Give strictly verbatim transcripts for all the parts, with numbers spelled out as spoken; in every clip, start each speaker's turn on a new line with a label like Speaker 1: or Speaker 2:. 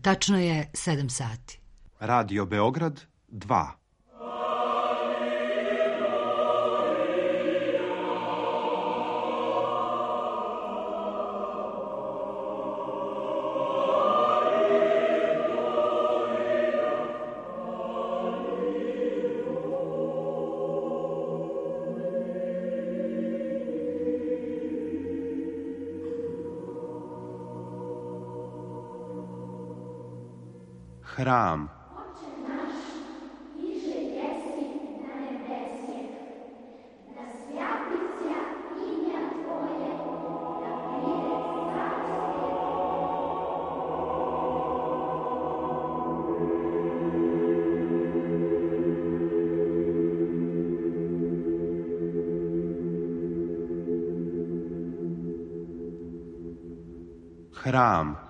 Speaker 1: Tačno je sedam sati.
Speaker 2: Radio Beograd dva. Hram. Hram.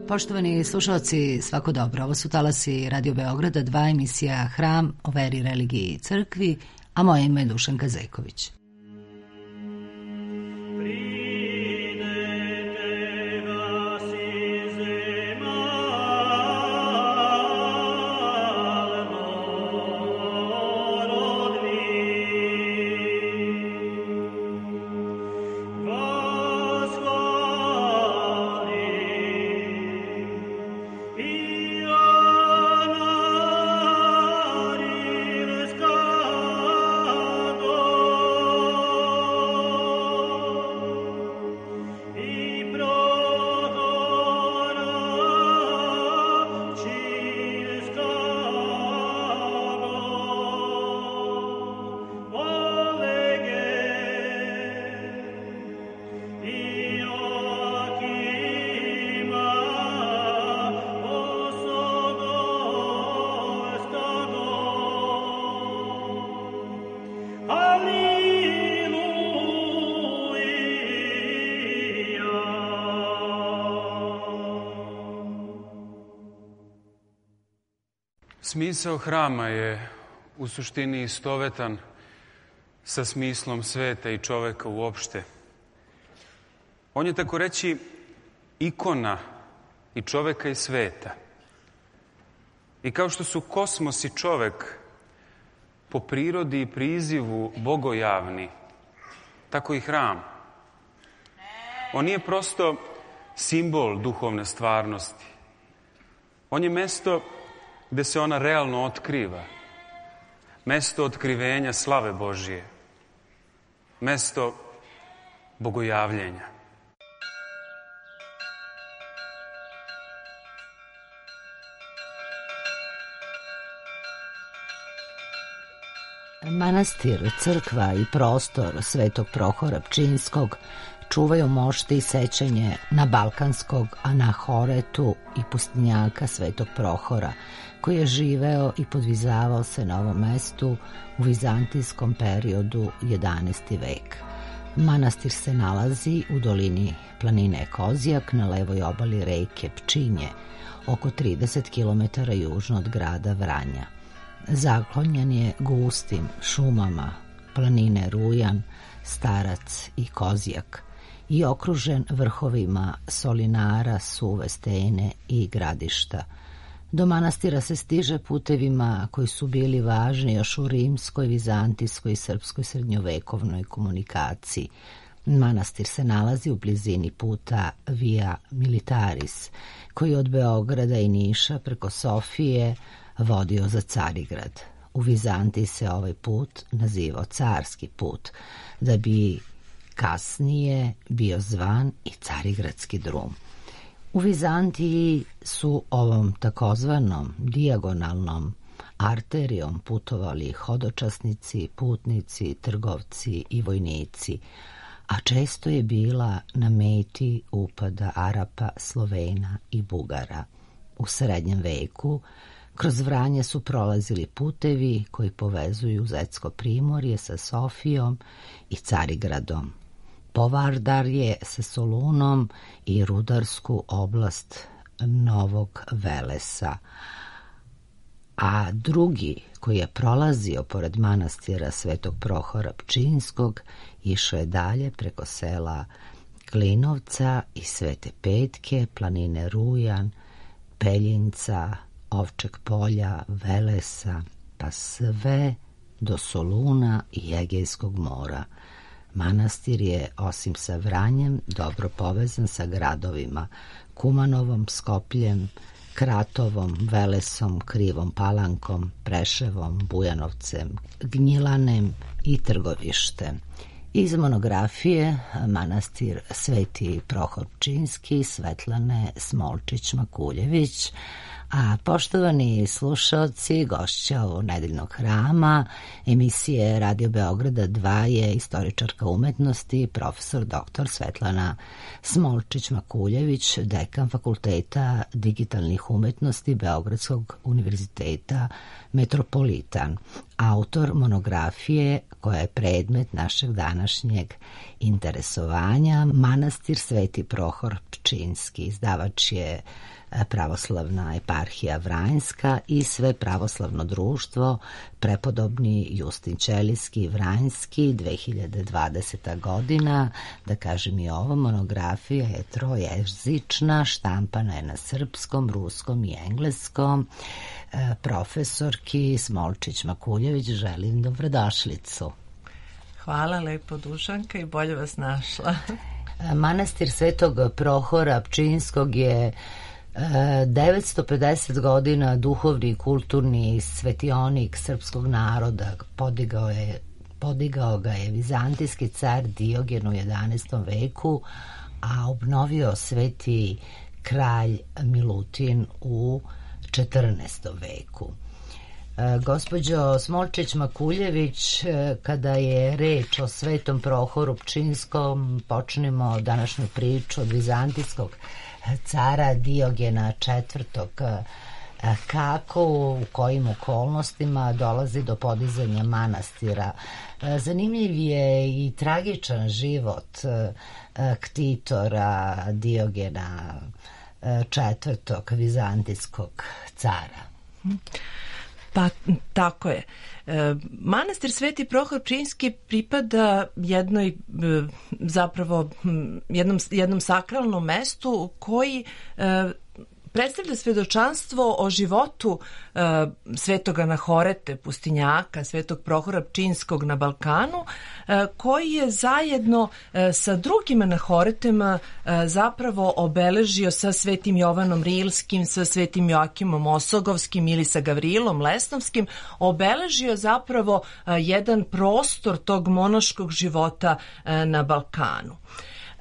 Speaker 1: Poštovani slušalci, svako dobro. Ovo su talasi Radio Beograda, dva, emisija Hram o veri, religiji i crkvi, a moje ime je Dušanka Zeković.
Speaker 3: Smisao hrama je u suštini istovetan sa smislom sveta i čoveka uopšte. On je, tako reći, ikona i čoveka i sveta. I kao što su kosmos i čovek po prirodi i prizivu bogojavni, tako i hram. On nije prosto simbol duhovne stvarnosti. On je mesto gde se ona realno otkriva. Mesto otkrivenja slave Božije. Mesto bogojavljenja.
Speaker 1: Manastir, crkva i prostor Svetog Prohora Pčinjskog čuvaju mošte i sećanje na balkanskog anahoretu i pustinjaka Svetog Prohora, koji je živeo i podvizavao se na ovom mestu u vizantijskom periodu jedanaesti vek. Manastir se nalazi u dolini planine Kozjak na levoj obali reke Pčinje, oko trideset kilometara južno od grada Vranja. Zaklonjen je gustim šumama planine Rujan, Starac i Kozjak i okružen vrhovima solinara, suve stene i gradišta. Do manastira se stiže putevima koji su bili važni još u rimskoj, vizantijskoj i srpskoj srednjovekovnoj komunikaciji. Manastir se nalazi u blizini puta Via Militaris, koji od Beograda i Niša preko Sofije vodio za Carigrad. U Vizantiji se ovaj put nazivao carski put, da bi kasnije bio zvan i Carigradski drum. U Vizantiji su ovom takozvanom dijagonalnom arterijom putovali hodočasnici, putnici, trgovci i vojnici, a često je bila na meti upada Arapa, Slovena i Bugara. U srednjem veku kroz Vranje su prolazili putevi koji povezuju Zetsko primorje sa Sofijom i Carigradom, Povardarje sa Solunom i rudarsku oblast Novog Velesa. A drugi, koji je prolazio pored manastira Svetog Prohora Pčinjskog, išao je dalje preko sela Klinovca i Svete Petke, planine Rujan, Peljinca, Ovčeg polja, Velesa, pa sve do Soluna i Egejskog mora. Manastir je, osim sa Vranjem, dobro povezan sa gradovima Kumanovom, Skopljem, Kratovom, Velesom, Krivom Palankom, Preševom, Bujanovcem, Gnjilanem i Trgovištem. Iz monografije manastir Sveti Prohor Pčinjski Svetlane Smolčić-Makuljević. A poštovani slušaoci, gošća u Nedeljnog hrama emisije Radio Beograda dva je istoričarka umetnosti, profesor doktor Svetlana Smolčić-Makuljević, dekan Fakulteta digitalnih umetnosti Beogradskog univerziteta Metropolitan, autor monografije koja je predmet našeg današnjeg interesovanja, Manastir Sveti Prohor Pčinjski. Izdavač je Pravoslavna eparhija Vranjska i Sve pravoslavno društvo Prepodobni Justin Ćelijski Vranjski, dve hiljade dvadeseta godina. Da kažem i ovo, monografija je trojezična, štampana je na srpskom, ruskom i engleskom. Profesorki Smolčić-Makuljević želim dobrodošlicu.
Speaker 4: Hvala lepo, Dušanka, i bolje vas našla.
Speaker 1: Manastir Svetog Prohora Pčinjskog je devetsto pedeset godina duhovni i kulturni svetionik srpskog naroda. Podigao je, podigao ga je vizantijski car Diogen u jedanaestom veku, a obnovio sveti kralj Milutin u četrnaestom veku. Gospođo Smolčić-Makuljević, kada je reč o Svetom Prohoru Pčinjskom, počnemo današnju priču od vizantijskog cara Diogena četvrtog. Kako, u kojim okolnostima dolazi do podizanja manastira? Zanimljiv je i tragičan život ktitora Diogena četvrtog, vizantijskog cara.
Speaker 4: Pa tako je. Manastir Sveti Prohor Pčinjski pripada jednoj, zapravo jednom, jednom sakralnom mestu koji predstavlja svedočanstvo o životu e, Svetoga Nahorete, pustinjaka, Svetog Prohora Pčinjskog na Balkanu, e, koji je zajedno e, sa drugim Nahoretema e, zapravo obeležio sa Svetim Jovanom Rilskim, sa Svetim Joakimom Osogovskim ili sa Gavrilom Lesnovskim, obeležio zapravo e, jedan prostor tog monaškog života e, na Balkanu.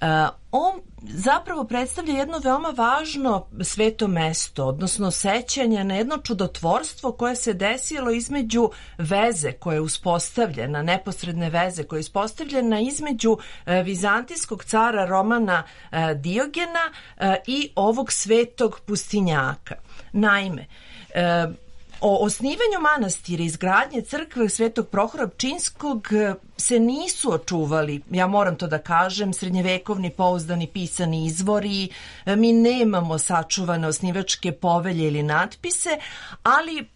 Speaker 4: Uh, on zapravo predstavlja jedno veoma važno sveto mesto, odnosno sećanje na jedno čudotvorstvo koje se desilo između veze koja je uspostavljena, neposredne veze koja je uspostavljena između uh, vizantijskog cara Romana uh, Diogena uh, i ovog svetog pustinjaka. Naime, uh, o osnivanju manastira i izgradnje crkve Svetog Prohora Pčinjskog se nisu očuvali, ja moram to da kažem, srednjevekovni pouzdani pisani izvori, mi nemamo sačuvane osnivačke povelje ili natpise, ali e,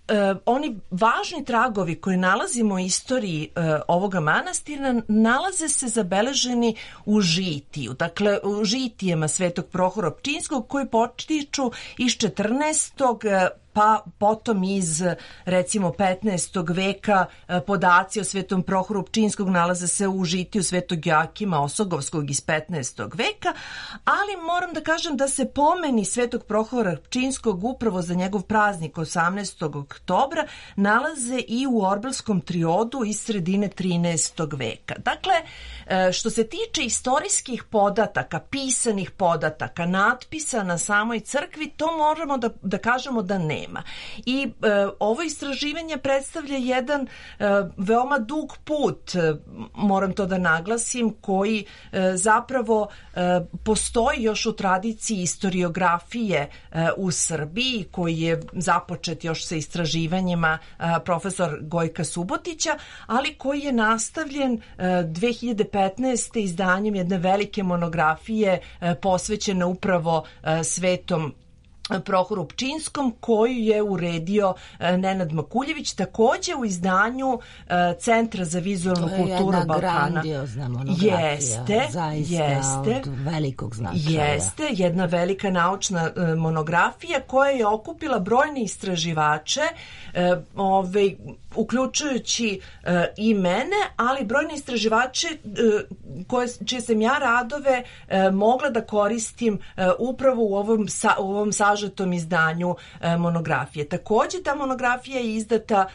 Speaker 4: oni važni tragovi koje nalazimo u istoriji e, ovoga manastira nalaze se zabeleženi u žitiju, dakle u žitijema Svetog Prohora Pčinjskog koji potiču iz četrnaestog pa potom iz recimo petnaestog veka podaci o Svetom Prohoru Pčinjskog nalaze se u žitiju Svetog Joakima Osogovskog iz petnaestog veka, ali moram da kažem da se pomeni Svetog Prohora Pčinjskog upravo za njegov praznik osamnaestog oktobra nalaze i u Orbelskom triodu iz sredine trinaestog veka. Dakle, što se tiče istorijskih podataka, pisanih podataka, natpisa na samoj crkvi, to možemo da, da kažemo da nema. I e, ovo istraživanje predstavlja jedan e, veoma dug put, e, moram to da naglasim, koji e, zapravo e, postoji još u tradiciji istoriografije e, u Srbiji, koji je započet još sa istraživanjima e, profesor Gojka Subotića, ali koji je nastavljen e, dve hiljade petnaeste. izdanjem jedne velike monografije e, posvećene upravo e, Svetom Prohoru Pčinjskom, koju je uredio Nenad Makuljević, takođe u izdanju Centra za vizualnu kulturu Balkana.
Speaker 1: To je jedna grandiozna monografija,
Speaker 4: jeste,
Speaker 1: zaista
Speaker 4: jeste,
Speaker 1: od velikog značaja.
Speaker 4: Jeste, jedna velika naučna monografija koja je okupila brojne istraživače, ove, uključujući i mene, ali brojne istraživače koje, čije sam ja radove mogla da koristim upravo u ovom, u ovom sažetom izdanju monografije. Takođe, ta monografija je izdata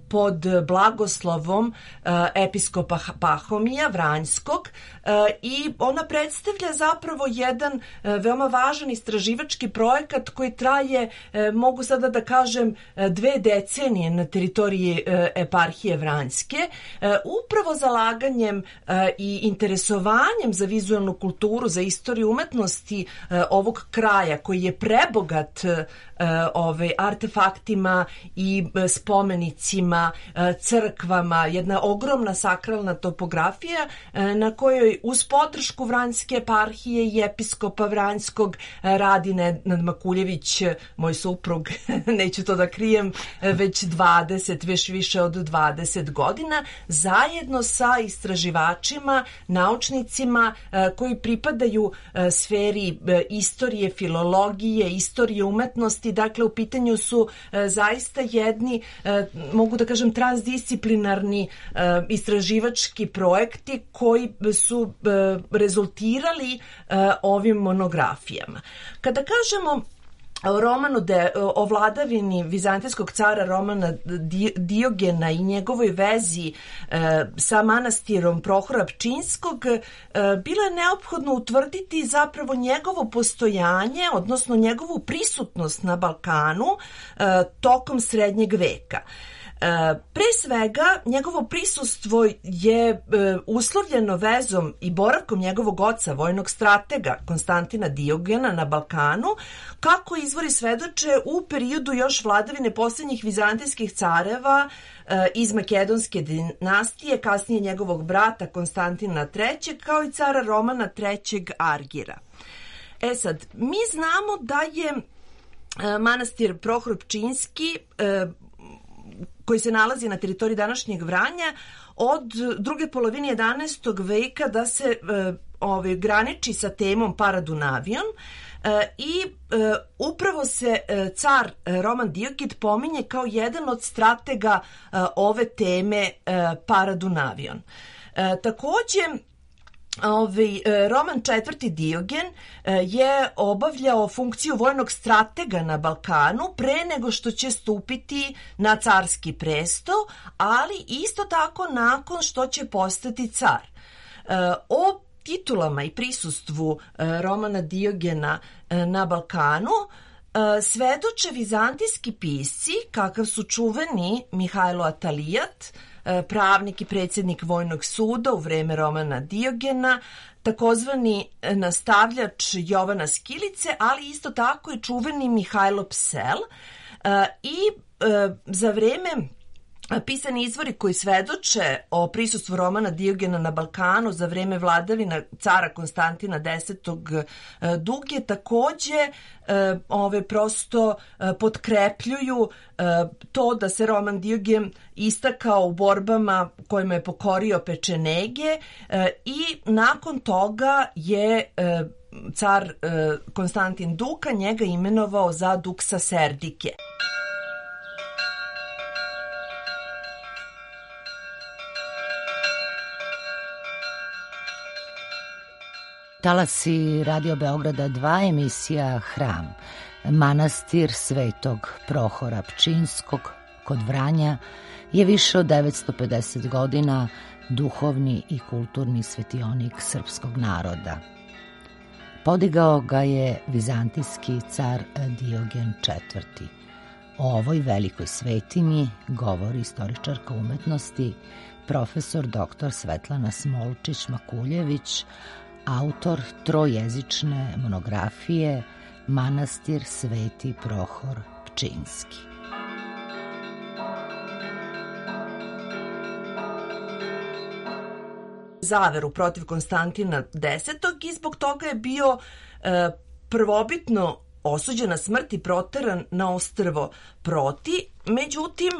Speaker 4: pod blagoslovom episkopa Pahomija Vranjskog i ona predstavlja zapravo jedan veoma važan istraživački projekat koji traje, mogu sada da kažem, dve decenije na teritoriji eparhije Vranjske, upravo zalaganjem i interesovanjem za vizualnu kulturu, za istoriju umetnosti ovog kraja koji je prebogat ove, artefaktima i spomenicima, crkvama, jedna ogromna sakralna topografija na kojoj uz podršku Vranjske eparhije i episkopa Vranjskog radi Nenad Makuljević, moj suprug, neću to da krijem, već dvadeset, već više od dvadeset godina, zajedno sa istraživačima, naučnicima koji pripadaju sferi istorije, filologije, istorije umetnosti. Dakle, u pitanju su zaista jedni, mogu da kažem, transdisciplinarni istraživački projekti koji su rezultirali ovim monografijama. Kada kažemo o romanu de, o vladavini vizantijskog cara Romana Diogena i njegovoj vezi e, sa manastirom Prohora Pčinjskog, e, bilo je neophodno utvrditi zapravo njegovo postojanje, odnosno njegovu prisutnost na Balkanu e, tokom srednjeg veka. Pre svega, njegovo prisustvo je e, uslovljeno vezom i boravkom njegovog oca, vojnog stratega Konstantina Diogena na Balkanu, kako izvori svedoče u periodu još vladavine posljednjih vizantijskih careva e, iz Makedonske dinastije, kasnije njegovog brata Konstantina trećeg, kao i cara Romana trećeg Argira. E sad, mi znamo da je e, manastir Prohor Pčinjski e, koji se nalazi na teritoriji današnjeg Vranja, od druge polovine jedanaestog veka da se e, ove, graniči sa temom Paradunavion e, i e, upravo se e, car Roman Diogid pominje kao jedan od stratega e, ove teme e, Paradunavion. E, takođe, Ovi, Roman četvrti Diogen je obavljao funkciju vojnog stratega na Balkanu pre nego što će stupiti na carski presto, ali isto tako nakon što će postati car. O titulama i prisustvu Romana Diogena na Balkanu svedoče vizantijski pisci, kakav su čuveni Mihajlo Atalijat, pravnik i predsjednik vojnog suda u vreme Romana Diogena, takozvani nastavljač Jovana Skilice, ali isto tako i čuveni Mihajlo Psel. I za vreme pisani izvori koji svedoče o prisustvu Romana Diogena na Balkanu za vreme vladavina cara Konstantina desetog Duge takođe ove prosto potkrepljuju to da se Roman Diogen istakao u borbama kojima je pokorio pečenege i nakon toga je car Konstantin Duka njega imenovao za duksa Serdike.
Speaker 1: Talasi Radio Beograda dva, emisija Hram. Manastir Svetog Prohora Pčinjskog kod Vranja je više od devetsto pedeset godina duhovni i kulturni svetionik srpskog naroda. Podigao ga je vizantijski car Diogen četvrti. O ovoj velikoj svetinji govori istoričarka umetnosti profesor doktor Svetlana Smolčić-Makuljević, autor trojezične monografije Manastir Sveti Prohor Pčinjski.
Speaker 4: Zaveru protiv Konstantina desetog i zbog toga je bio e, prvobitno osuđen na smrt i proteran na ostrvo Proti. Međutim,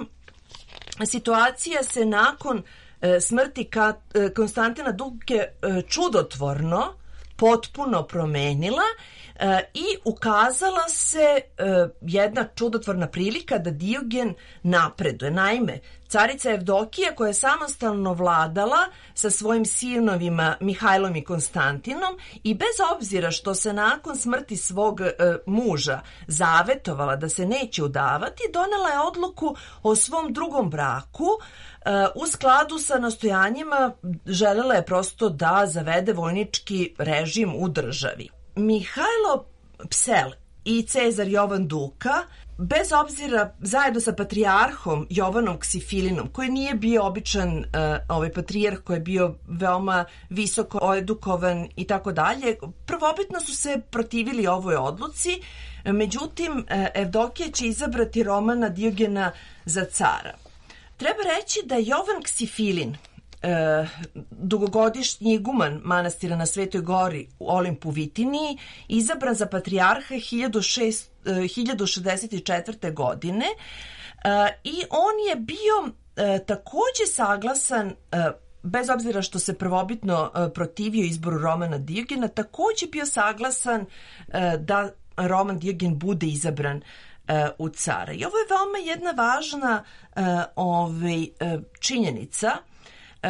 Speaker 4: situacija se nakon e, smrti ka, e, Konstantina Duke e, čudotvorno potpuno promenila e, i ukazala se e, jedna čudotvorna prilika da Diogen napreduje. Naime, carica Evdokija, koja je samostalno vladala sa svojim sinovima Mihajlom i Konstantinom i bez obzira što se nakon smrti svog e, muža zavetovala da se neće udavati, donela je odluku o svom drugom braku. U skladu sa nastojanjima želela je prosto da zavede vojnički režim u državi. Mihajlo Psel i Cezar Jovan Duka, bez obzira zajedno sa patrijarhom Jovanom Ksifilinom, koji nije bio običan uh, ovaj patrijarh, koji je bio veoma visoko edukovan i tako dalje, prvobitno su se protivili ovoj odluci, međutim Evdokija će izabrati Romana Diogena za cara. Treba reći da je Jovan Ksifilin, e, dugogodišnji iguman manastira na Svetoj gori u Olimpu Vitiniji, izabran za patrijarha hiljadu šezdeset četvrte. godine e, i on je bio e, takođe saglasan, e, bez obzira što se prvobitno e, protivio izboru Romana Diogena, takođe bio saglasan e, da Roman Diogen bude izabran u cara. I ovo je veoma jedna važna uh, ovaj, uh, činjenica, uh,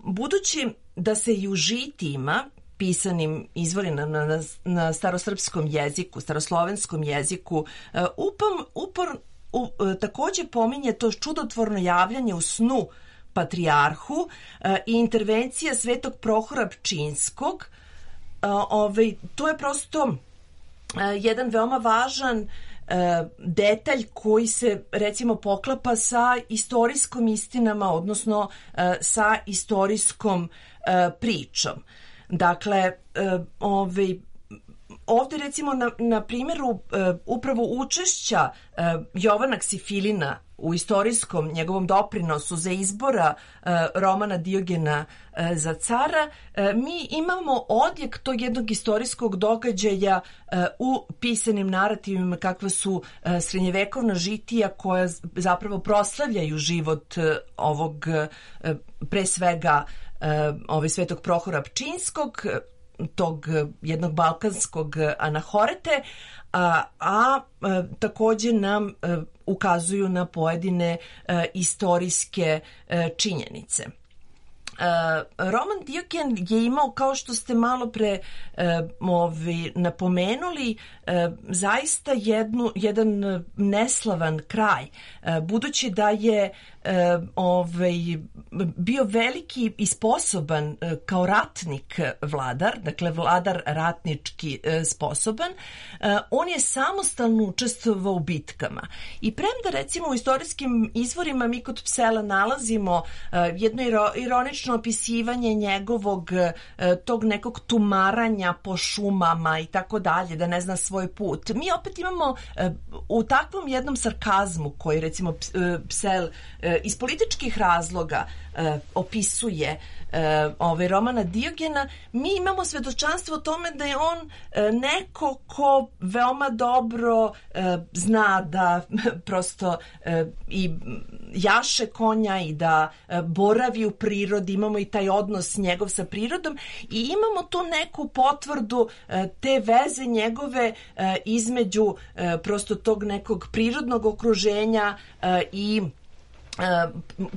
Speaker 4: budući da se i u žitijima, pisanim izvorima na, na, na starosrpskom jeziku, staroslovenskom jeziku, uh, upam, upor, uh, takođe pominje to čudotvorno javljanje u snu patrijarhu uh, i intervencija Svetog Prohora Pčinjskog. Uh, ovaj, to je prosto uh, jedan veoma važan detalj koji se recimo poklapa sa istorijskom istinama, odnosno sa istorijskom pričom. Dakle, ovaj, ovde recimo na, na primjeru upravo učešća Jovana Ksifilina u istorijskom njegovom doprinosu za izbora Romana Diogena za cara, mi imamo odjek tog jednog istorijskog događaja u pisanim narativima kakva su srednjevekovna žitija koja zapravo proslavljaju život ovog pre svega ovaj Svetog Prohora Pčinjskog, tog jednog balkanskog anahorete, a, a, a takođe nam a, ukazuju na pojedine a, istorijske a, činjenice. Roman Diogen je imao, kao što ste malo pre e, ovi, napomenuli, e, zaista jednu, jedan neslavan kraj, e, budući da je e, ovaj, bio veliki i sposoban e, kao ratnik vladar, dakle vladar ratnički e, sposoban, e, on je samostalno učestvovao u bitkama. I premda recimo u istorijskim izvorima mi kod Psela nalazimo e, jedno ironično opisivanje njegovog tog nekog tumaranja po šumama i tako dalje, da ne zna svoj put. Mi opet imamo u takvom jednom sarkazmu koji recimo Psel iz političkih razloga opisuje ovaj romana Diogena, mi imamo svedočanstvo o tome da je on neko ko veoma dobro zna da prosto i jaše konja i da boravi u prirodi, imamo i taj odnos njegov sa prirodom i imamo tu neku potvrdu te veze njegove između prosto tog nekog prirodnog okruženja i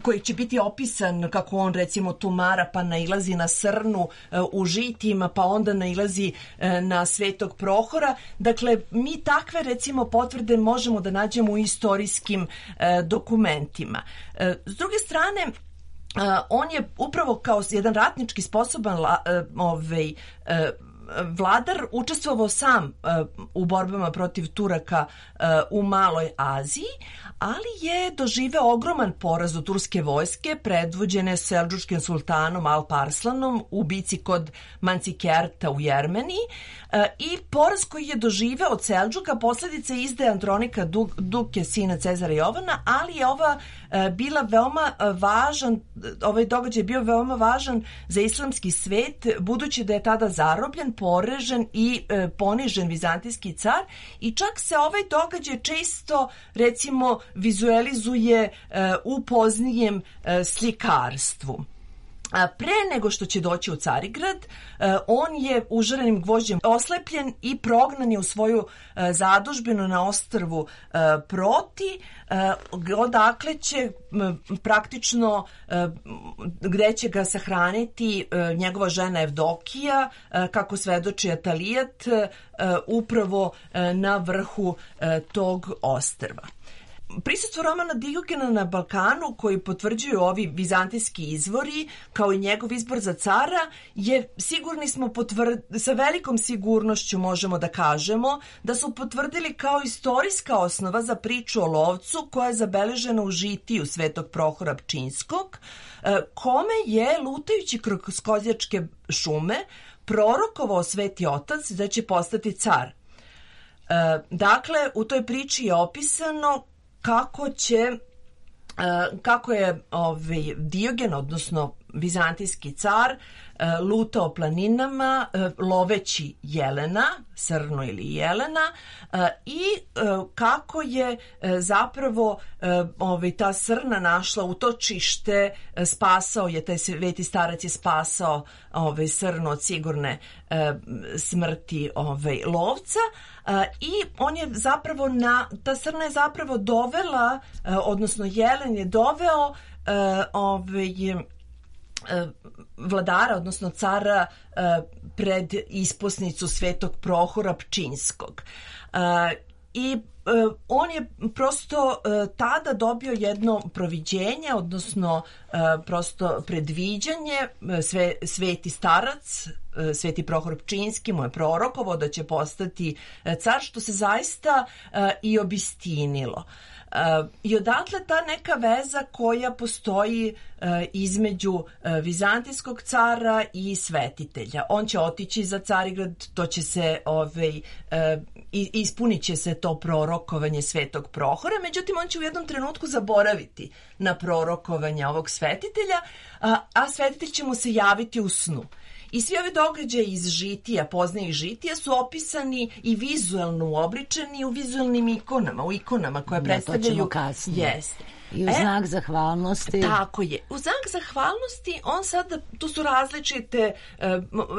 Speaker 4: koji će biti opisan kako on recimo tumara pa nailazi na srnu u žitijima pa onda nailazi na Svetog Prohora. Dakle, mi takve recimo potvrde možemo da nađemo u istorijskim dokumentima. S druge strane, on je upravo kao jedan ratnički sposoban ovaj, vladar učestvovao sam uh, u borbama protiv Turaka uh, u Maloj Aziji, ali je doživeo ogroman poraz od turske vojske predvođene Seldžučkim sultanom Alp-Arslanom u bici kod Mancikerta u Jermeniji uh, i poraz koji je doživeo od Seldžuka posljedica izdaje Andronika Duke, sina Cezara Jovana, ali je ova uh, bila veoma uh, važan, ovaj događaj je bio veoma važan za islamski svet, budući da je tada zarobljen, porežen i e, ponižen vizantijski car i čak se ovaj događaj često recimo vizualizuje e, u poznijem e, slikarstvu. A pre nego što će doći u Carigrad, on je užarenim gvožđem oslepljen i prognan je u svoju zadužbinu na ostrvu Proti, odakle će praktično, gde će ga sahraniti njegova žena Evdokija, kako svedoči Atalijat, upravo na vrhu tog ostrva. Prisustvo romana Diogena na Balkanu, koji potvrđuju ovi vizantijski izvori, kao i njegov izbor za cara, je, sigurni smo, potvrd, sa velikom sigurnošću možemo da kažemo da su potvrdili kao istorijska osnova za priču o lovcu koja je zabeležena u žitiju Svetog Prohora Pčinjskog, kome je, lutajući kroz kozjačke šume, prorokovao Sveti Otac da će postati car. Dakle, u toj priči je opisano kako će, kako je ovaj Diogen, odnosno vizantijski car, lutao planinama loveći jelena, srnu ili jelena, i kako je zapravo ovaj, ta srna našla utočište, spasao je, taj sveti starac je spasao ovaj, srnu od sigurne smrti ovaj, lovca, i on je zapravo na, ta srna je zapravo dovela, odnosno jelen je doveo ovaj, vladara, odnosno cara, pred isposnicu Svetog Prohora Pčinjskog. I on je prosto tada dobio jedno proviđenje, odnosno prosto predviđanje. Sve, sveti starac, Sveti Prohor Pčinjski mu je prorokovao da će postati car, što se zaista i obistinilo. I odatle ta neka veza koja postoji između vizantijskog cara i svetitelja. On će otići za Carigrad, to će se, ovaj, ispunit će se to prorokovanje Svetog Prohora, međutim on će u jednom trenutku zaboraviti na prorokovanje ovog svetitelja, a, a svetitelj će mu se javiti u snu. I svi ovi događaji iz žitija, poznajih žitija, su opisani i vizuelno uobličeni u vizuelnim ikonama, u ikonama koje
Speaker 1: da,
Speaker 4: predstavljaju...
Speaker 1: To ćemo kasnije.
Speaker 4: Jeste.
Speaker 1: I u znak e, zahvalnosti...
Speaker 4: Tako je. U znak zahvalnosti on sada, tu su različite,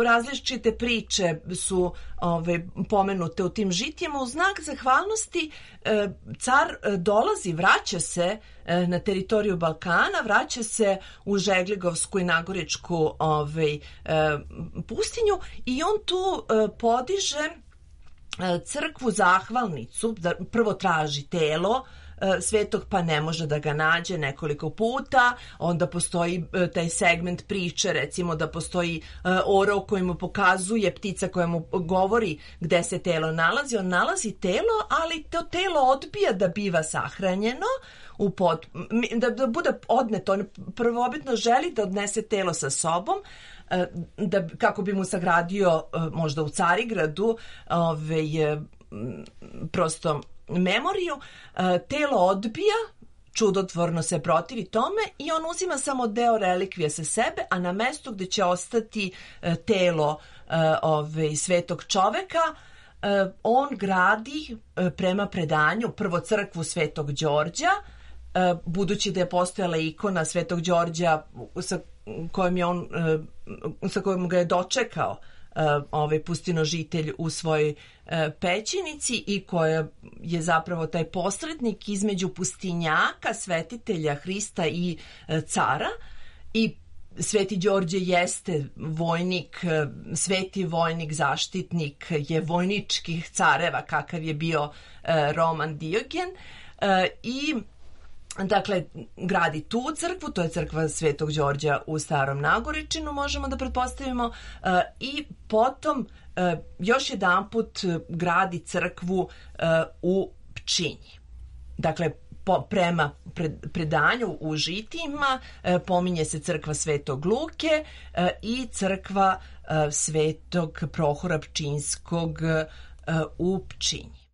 Speaker 4: različite priče su ove, pomenute u tim žitijama. U znak zahvalnosti car dolazi, vraća se na teritoriju Balkana, vraća se u Žegligovsku i Nagoričku ove, pustinju i on tu podiže crkvu zahvalnicu, prvo traži telo svetog, pa ne može da ga nađe nekoliko puta, onda postoji taj segment priče, recimo da postoji orao koji mu pokazuje, ptica koja mu govori gde se telo nalazi, on nalazi telo, ali to telo odbija da biva sahranjeno, u pod, da, da bude odneto, on prvobitno želi da odnese telo sa sobom, da, kako bi mu sagradio možda u Carigradu ovaj, prosto memoriju. Telo odbija čudotvorno se protivi tome i on uzima samo deo relikvije sa sebe, a na mestu gde će ostati e, telo e, ove, svetog čoveka, e, on gradi e, prema predanju prvo crkvu Svetog Đorđa, e, budući da je postojala ikona Svetog Đorđa sa kojom je on, e, sa kojom ga je dočekao ovaj pustinožitelj u svojoj e, pećinici i koja je zapravo taj posrednik između pustinjaka, svetitelja Hrista i e, cara. I Sveti Đorđe jeste vojnik, e, sveti vojnik, zaštitnik je vojničkih careva kakav je bio e, Roman Diogen e, i dakle, gradi tu crkvu, to je crkva Svetog Đorđa u Starom Nagoričinu, možemo da pretpostavimo, i potom još jedanput gradi crkvu u Pčinji. Dakle, po, prema predanju u Žitima pominje se crkva Svetog Luke i crkva Svetog Prohora Pčinjskog u Pčinji.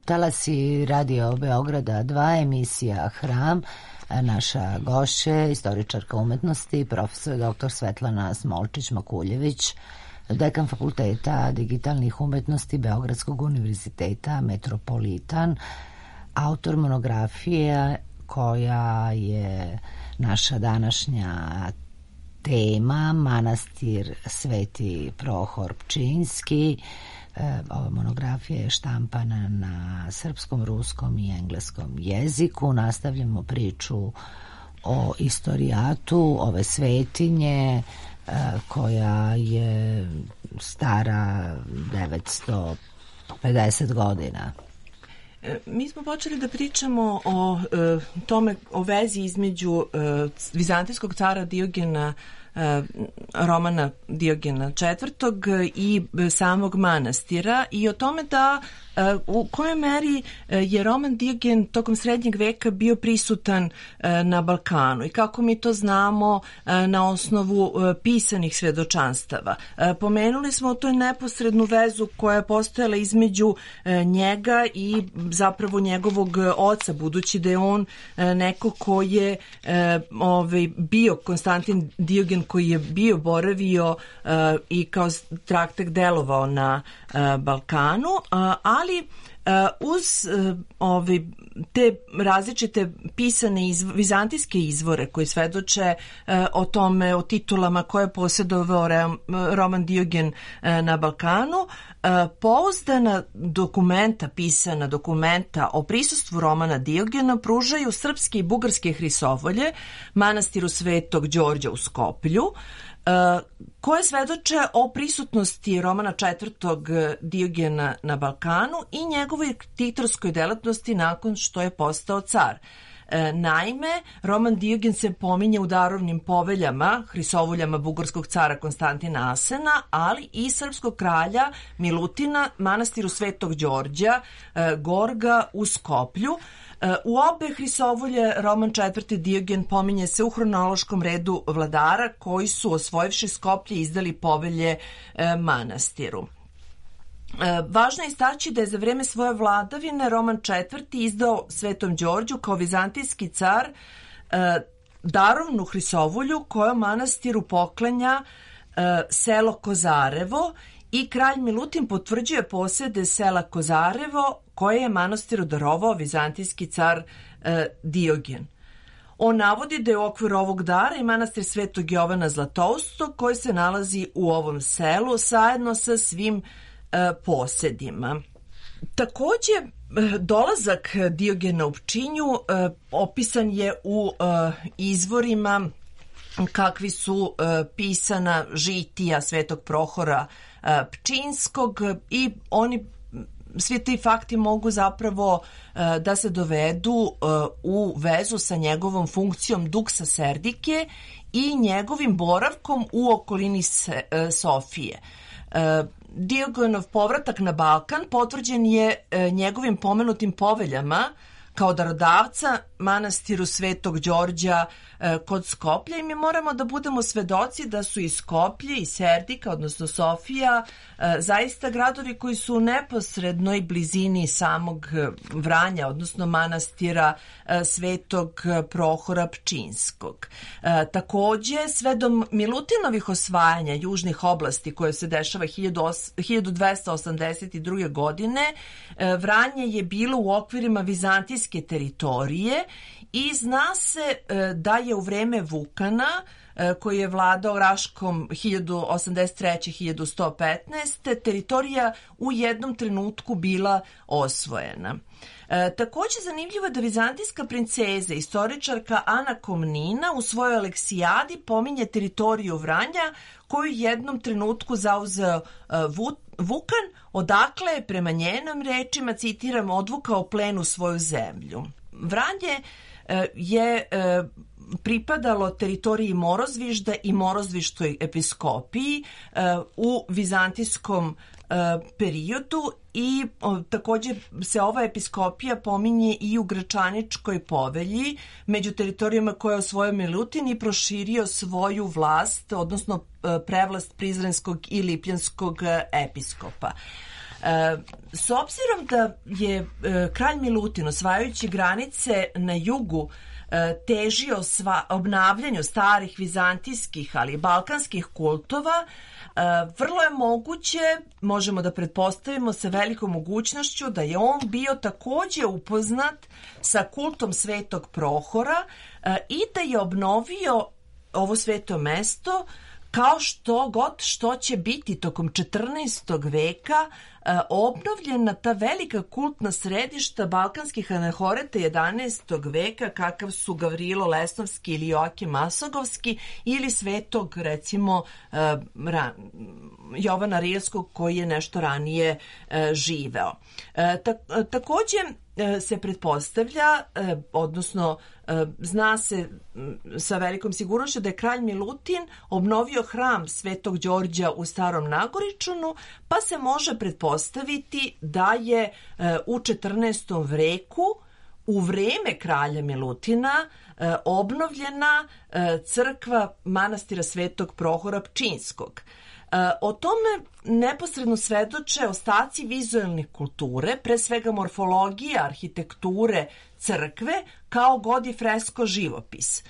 Speaker 1: Talasi Radio Beograda dva, emisija Hram. Naša gošća, istoričarka umetnosti, profesor doktor Svetlana Smolčić-Makuljević, dekan Fakulteta digitalnih umetnosti Beogradskog univerziteta Metropolitan, autor monografije koja je naša današnja tema, manastir Sveti Prohor Pčinjski. Ova monografija je štampana na srpskom, ruskom i engleskom jeziku. Nastavljamo priču o istorijatu ove svetinje koja je stara devetsto pedeset godina.
Speaker 4: Mi smo počeli da pričamo o e, tome, o vezi između e, vizantijskog cara Diogena, e, Romana Diogena četvrtog i samog manastira i o tome da e, u kojoj meri je Roman Diogen tokom srednjeg veka bio prisutan e, na Balkanu i kako mi to znamo e, na osnovu e, pisanih svedočanstava. E, pomenuli smo tu neposrednu vezu koja je postojala između e, njega i zapravo njegovog oca, budući da je on e, neko ko je e, ovaj, bio Konstantin Diogen, koji je bio boravio e, i kao strateg delovao na e, Balkanu, a, ali Uz ove, te različite pisane izv, vizantijske izvore koji svedoče o tome, o titulama koje je posjedovao Roman Diogen na Balkanu, pouzdana dokumenta, pisana dokumenta o prisustvu Romana Diogena pružaju srpske i bugarske hrisovolje manastiru Svetog Đorđa u Skoplju, koje svedoče o prisutnosti Romana četvrtog Diogena na Balkanu i njegovoj ktitorskoj delatnosti nakon što je postao car. Naime, Roman Diogen se pominje u darovnim poveljama, hrisovoljama bugarskog cara Konstantina Asena, ali i srpskog kralja Milutina, manastiru Svetog Đorđa, Gorga u Skoplju. U obe hrisovolje Roman četvrti Diogen pominje se u hronološkom redu vladara koji su, osvojivši Skoplje, izdali povelje manastiru. Važno je istaći da je za vreme svoje vladavine Roman četvrti izdao Svetom Đorđu kao vizantijski car darovnu hrisovolju kojom manastiru poklanja selo Kozarevo i kralj Milutin potvrđuje posjede sela Kozarevo koje je manastiru darovao vizantijski car Diogen. On navodi da je u okviru ovog dara i manastir Svetog Jovana Zlatoustog koji se nalazi u ovom selu zajedno sa svim posjedima. Takođe, dolazak Diogena u Pčinju opisan je u izvorima kakvi su pisana žitija Svetog Prohora Pčinskog i oni svi ti fakti mogu zapravo da se dovedu u vezu sa njegovom funkcijom duksa Serdike i njegovim boravkom u okolini Sofije. Diogenov povratak na Balkan potvrđen je njegovim pomenutim poveljama kao darodavca manastiru Svetog Đorđa kod Skoplja i mi moramo da budemo svedoci da su i Skoplje i Serdika, odnosno Sofija, zaista gradovi koji su u neposrednoj blizini samog Vranja, odnosno manastira Svetog Prohora Pčinskog. Takođe, sve do Milutinovih osvajanja južnih oblasti koje se dešava hiljadu dvesta osamdeset druge. godine, Vranje je bilo u okvirima vizantijske teritorije i zna se da je u vreme Vukana, koji je vladao Raškom hiljadu osamdeset treće do hiljadu sto petnaeste. teritorija u jednom trenutku bila osvojena. E, takođe zanimljivo je da vizantijska princeza, istoričarka Ana Komnina u svojoj Aleksijadi pominje teritoriju Vranja koju jednom trenutku zauzeo e, Vukan, odakle je prema njenom rečima, citiram, odvukao plenu svoju zemlju. Vranje e, je e, pripadalo teritoriji Morozvižda i Morozvištoj episkopiji e, u vizantijskom e, periodu i o, takođe se ova episkopija pominje i u Gračaničkoj povelji među teritorijama koje je osvojio Milutin i proširio svoju vlast, odnosno e, prevlast Prizrenskog i Lipljanskog episkopa. E, s obzirom da je e, kralj Milutin osvajajući granice na jugu težio sva, obnavljanju starih vizantijskih, ali i balkanskih kultova, vrlo je moguće, možemo da pretpostavimo sa velikom mogućnošću da je on bio takođe upoznat sa kultom Svetog Prohora i da je obnovio ovo sveto mesto kao što god što će biti tokom četrnaestog veka obnovljena ta velika kultna središta balkanskih anahoreta jedanaestog veka kakav su Gavrilo Lesnovski ili Joakim Masogovski ili svetog recimo Jovana Rilskog koji je nešto ranije živeo. Takođe se pretpostavlja, odnosno zna se sa velikom sigurnošću da je kralj Milutin obnovio hram Svetog Đorđa u Starom Nagoričunu, pa se može pretpostaviti da je u četrnaestom veku u vreme kralja Milutina obnovljena crkva manastira Svetog Prohora Pčinskog. O tome neposredno svedoče ostaci vizualne kulture, pre svega morfologija, arhitekture crkve, kao god i fresko živopis.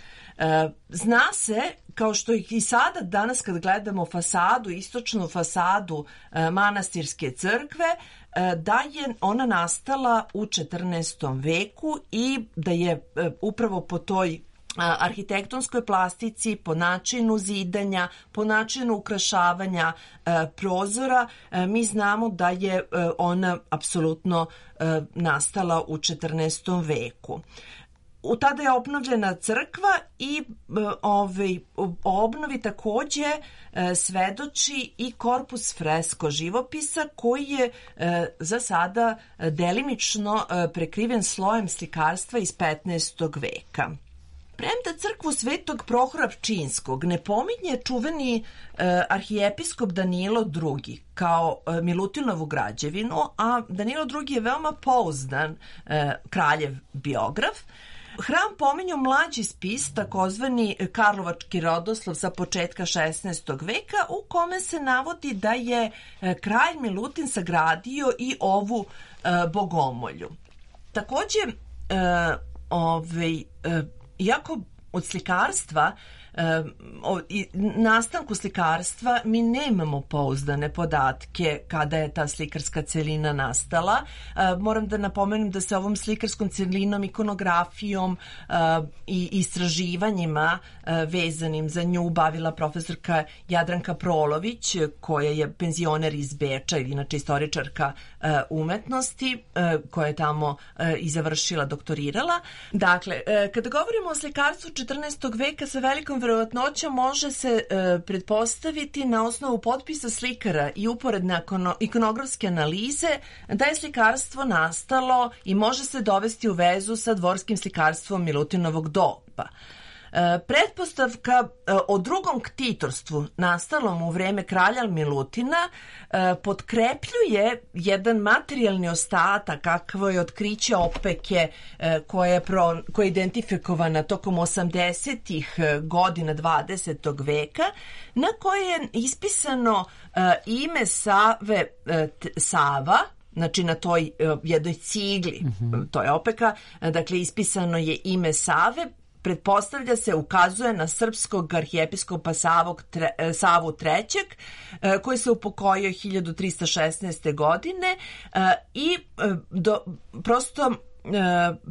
Speaker 4: Zna se, kao što i sada danas kad gledamo fasadu, istočnu fasadu manastirske crkve, da je ona nastala u četrnaestom veku i da je upravo po toj arhitektonskoj plastici, po načinu zidanja, po načinu ukrašavanja prozora, mi znamo da je ona apsolutno nastala u četrnaestom veku. U tada je obnovljena crkva i ovaj, o obnovi takođe e, svedoči i korpus fresko živopisa koji je e, za sada delimično e, prekriven slojem slikarstva iz petnaestog veka. Premda crkvu Svetog Prohora Pčinjskog ne pominje čuveni e, arhijepiskop Danilo drugi kao e, Milutinovu građevinu, a Danilo drugi je veoma pouzdan e, kraljev biograf. Hram pominju mlađi spis, takozvani Karlovački rodoslov sa početka šesnaestog veka, u kome se navodi da je kralj Milutin sagradio i ovu e, bogomolju. Takođe, e, ovaj, e, iako od slikarstva, e, o, i, nastanku slikarstva mi nemamo pouzdane podatke kada je ta slikarska celina nastala. E, moram da napomenem da se ovom slikarskom celinom, ikonografijom e, i istraživanjima e, vezanim za nju bavila profesorka Jadranka Prolović, koja je penzioner iz Beča, ili inače istoričarka e, umetnosti, e, koja je tamo e, i završila, doktorirala. Dakle, e, kada govorimo o slikarstvu četrnaestog veka, sa velikom verovatnoća može se e, pretpostaviti na osnovu potpisa slikara i uporedne ikonografske analize da je slikarstvo nastalo i može se dovesti u vezu sa dvorskim slikarstvom Milutinovog doba. E, pretpostavka e, o drugom ktitorstvu nastalom u vreme kralja Milutina e, potkrepljuje jedan materijalni ostatak kakvo je otkriće opeke e, koje je, pro, koje je identifikovana tokom osamdesetih godina dvadesetog veka, na koje je ispisano e, ime Save e, t, Sava, znači na toj uh, jednoj cigli, mm-hmm. to je opeka, dakle ispisano je ime Save, pretpostavlja se, ukazuje na srpskog arhijepiskopa Savog tre, Savu trećeg, uh, koji se upokojio hiljadu trista šesnaeste. godine uh, i uh, do, prosto Uh,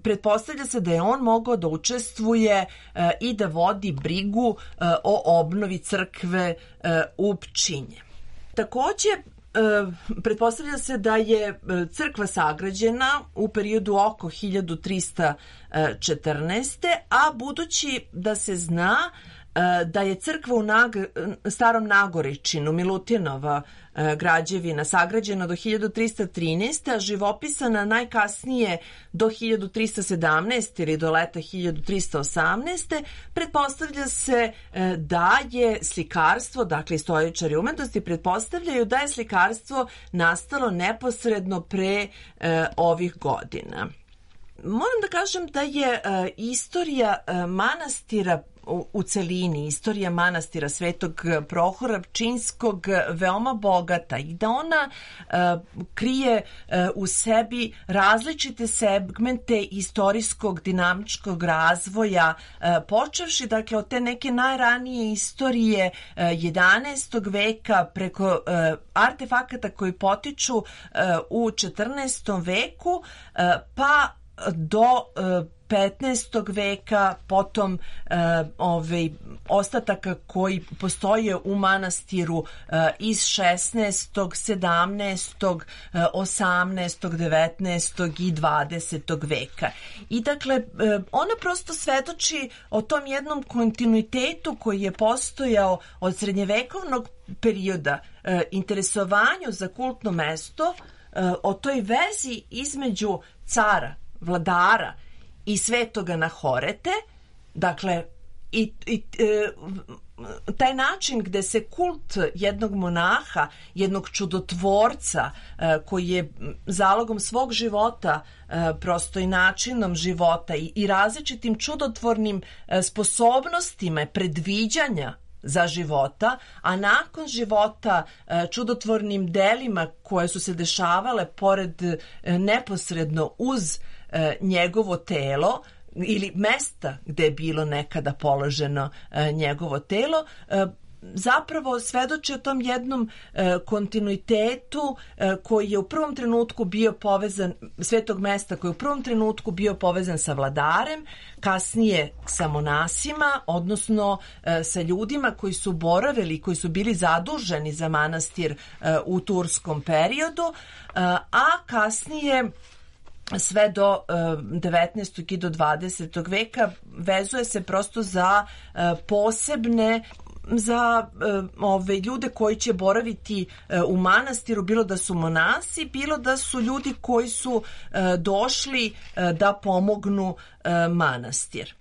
Speaker 4: pretpostavlja se da je on mogao da učestvuje uh, i da vodi brigu uh, o obnovi crkve uh, u Pčinje. Takođe, pretpostavlja se da je crkva sagrađena u periodu oko hiljadu trista četrnaeste. a budući da se zna da je crkva u Nag Starom Nagoričinu, Milutinova građevina, sagrađena do hiljadu trista trinaeste. a živopisana najkasnije do hiljadu trista sedamnaeste. ili do leta hiljadu trista osamnaeste. pretpostavlja se da je slikarstvo, dakle istoričari umetnosti pretpostavljaju da je slikarstvo nastalo neposredno pre e, ovih godina. Moram da kažem da je e, istorija e, manastira u celini, istorija manastira Svetog Prohora Pčinjskog veoma bogata i da ona uh, krije uh, u sebi različite segmente istorijskog dinamičkog razvoja, uh, počevši dakle od te neke najranije istorije uh, jedanaestog veka preko uh, artefakata koji potiču uh, u četrnaestom veku uh, pa do uh, petnaestog veka, potom uh, ovaj, ostataka koji postoje u manastiru uh, iz šesnaestog, sedamnaestog, osamnaestog, devetnaestog i dvadesetog veka. I dakle, uh, ona prosto svedoči o tom jednom kontinuitetu koji je postojao od srednjevekovnog perioda, uh, interesovanju za kultno mesto, uh, o toj vezi između cara, vladara i svetoga Nahorete, dakle, i, i e, taj način gde se kult jednog monaha, jednog čudotvorca e, koji je zalogom svog života, e, prosto i načinom života i, i različitim čudotvornim e, sposobnostima predviđanja za života, a nakon života e, čudotvornim delima koje su se dešavale pored e, neposredno uz e, njegovo telo, ili mesta gde je bilo nekada položeno njegovo telo, zapravo svedoči o tom jednom e, kontinuitetu e, koji je u prvom trenutku bio povezan, svetog mesta koji je u prvom trenutku bio povezan sa vladarem, kasnije sa monasima, odnosno e, sa ljudima koji su boravili, koji su bili zaduženi za manastir e, u turskom periodu, e, a kasnije sve do devetnaestog i do dvadesetog veka vezuje se prosto za e, posebne za e, ove ljude koji će boraviti e, u manastiru, bilo da su monasi, bilo da su ljudi koji su e, došli e, da pomognu e, manastir.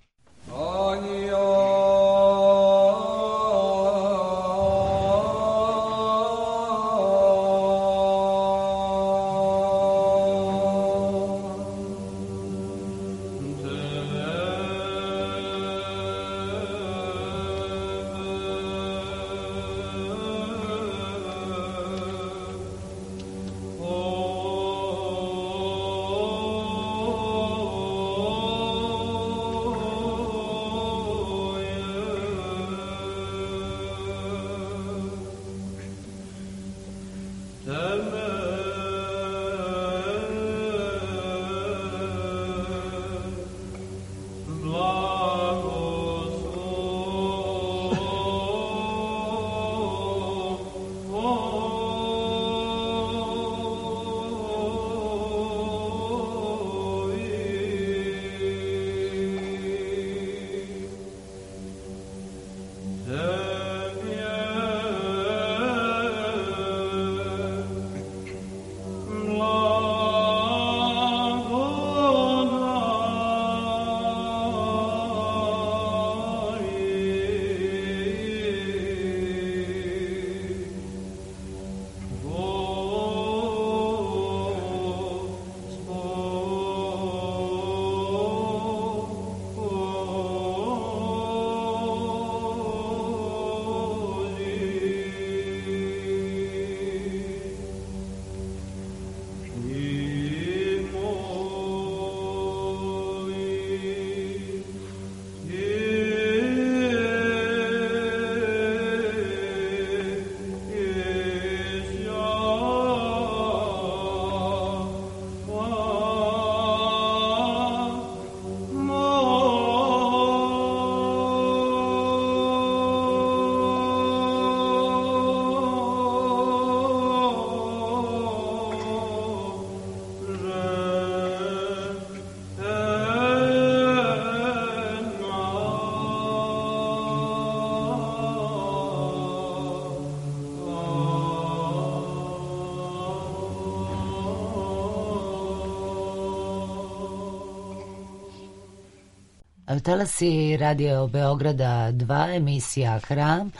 Speaker 1: Talasi Radio Beograda dva, emisija Hram.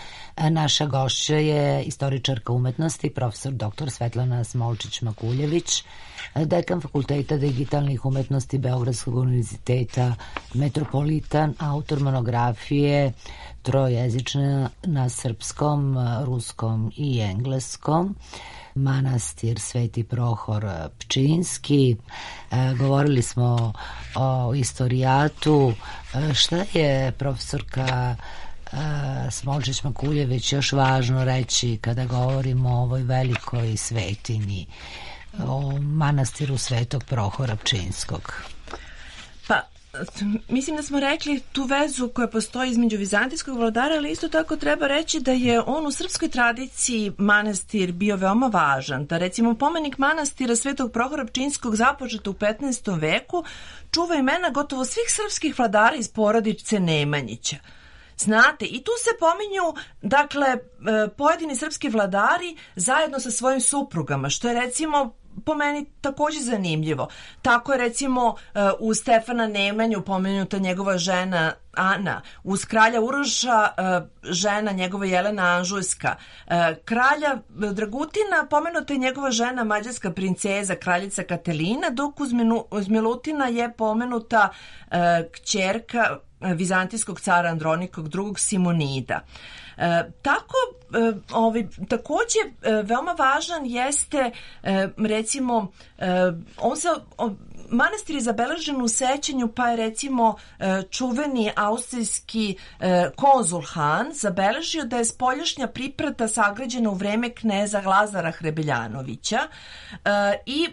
Speaker 1: Naša gošća je istoričarka umetnosti, profesor doktor Svetlana Smolčić-Makuljević, dekan Fakulteta digitalnih umetnosti Beogradskog univerziteta Metropolitan, autor monografije trojezična na srpskom, ruskom i engleskom, manastir Sveti Prohor Pčinjski. E, govorili smo o istorijatu. E, šta je profesorka e, Smolčić-Makuljević još važno reći kada govorimo o ovoj velikoj svetinji, o manastiru Svetog Prohora Pčinjskog?
Speaker 4: Pa, mislim da smo rekli tu vezu koja postoji između vizantijskog vladara, ali isto tako treba reći da je on u srpskoj tradiciji manastir bio veoma važan. Da recimo pomenik manastira Svetog Prohora Pčinjskog započet u petnaestom veku čuva imena gotovo svih srpskih vladara iz porodice Nemanjića. Znate, i tu se pominju, dakle, pojedini srpski vladari zajedno sa svojim suprugama, što je recimo po meni takođe zanimljivo. Tako je recimo uz Stefana Nemanju pomenuta njegova žena Ana, uz kralja Uroša žena njegova Jelena Anžujska, kralja Dragutina pomenuta je njegova žena mađarska princeza kraljica Katelina, dok uz, Minu, uz Milutina je pomenuta kćerka vizantijskog cara Andronikog drugog Simonida. E, tako, e, ovaj, takođe e, veoma važan jeste e, recimo e, on se o, manastir je zabeležen u sećanju, pa je recimo čuveni austrijski konzul Han zabeležio da je spoljašnja priprata sagrađena u vreme kneza Lazara Hrebeljanovića i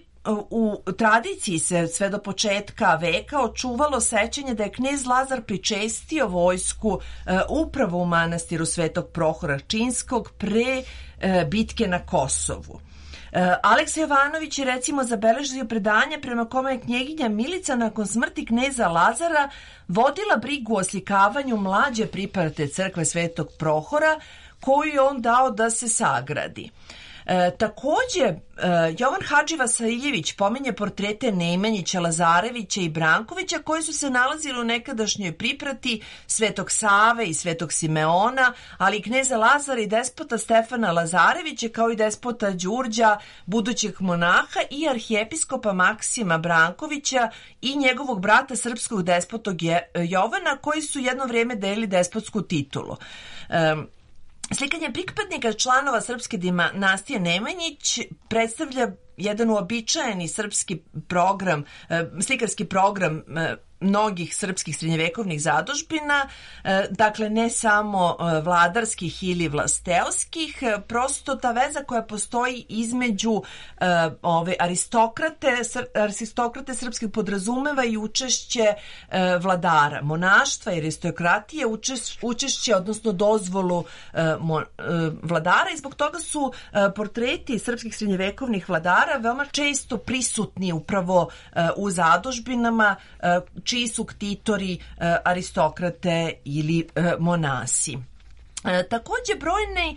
Speaker 4: u tradiciji se sve do početka veka očuvalo sećanje da je knez Lazar pričestio vojsku upravo u manastiru Svetog Prohora Pčinjskog pre bitke na Kosovu. Aleksa Jovanović je recimo zabeležio predanje prema kome je knjeginja Milica nakon smrti kneza Lazara vodila brigu o oslikavanju mlađe priprate crkve Svetog Prohora koju je on dao da se sagradi. E, takođe, e, Jovan Hadži Vasiljević pominje portrete Nemanjića, Lazarevića i Brankovića koji su se nalazili u nekadašnjoj priprati Svetog Save i Svetog Simeona, ali i kneza Lazara i despota Stefana Lazarevića, kao i despota Đurđa, budućeg monaha, i arhijepiskopa Maksima Brankovića i njegovog brata srpskog despotog Jovana, koji su jedno vrijeme delili despotsku titulu. E, Slikanje pripadnika članova srpske dinastije Nemanjić predstavlja jedan uobičajeni srpski program, slikarski program mnogih srpskih srednjevekovnih zadužbina, dakle ne samo vladarskih ili vlasteoskih, prosto ta veza koja postoji između ove aristokrate, aristokrate srpskih podrazumeva i učešće vladara, monaštva i aristokratije, učešće, odnosno dozvolu vladara, i zbog toga su portreti srpskih srednjevekovnih vladara veoma često prisutni upravo u zadužbinama čiji su ktitori, aristokrate ili monasi. E, takođe, brojni e,